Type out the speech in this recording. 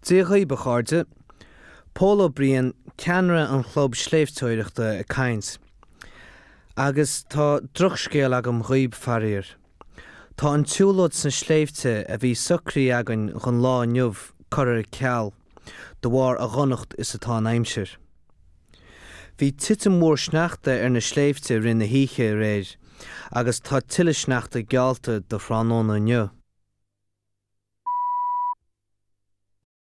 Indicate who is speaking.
Speaker 1: Dia dhaoib, a chairde. Pól Ó Briain, ceannaire an chlub sléibhteoireachta ag caint. Agus tá drochscéal agam dhaoib, faraor. Tá an tsiúlóid sna sléibhte a bhí socraithe againn dhon lá inniu curtha ar ceal, de bharr a dhonacht is atá an aimsir. Bhí titim mhór sneachta ar na sléibhte i rith na hoíche aréir agus tá tuilleadh sneachta geallta do thráthnóna inniu.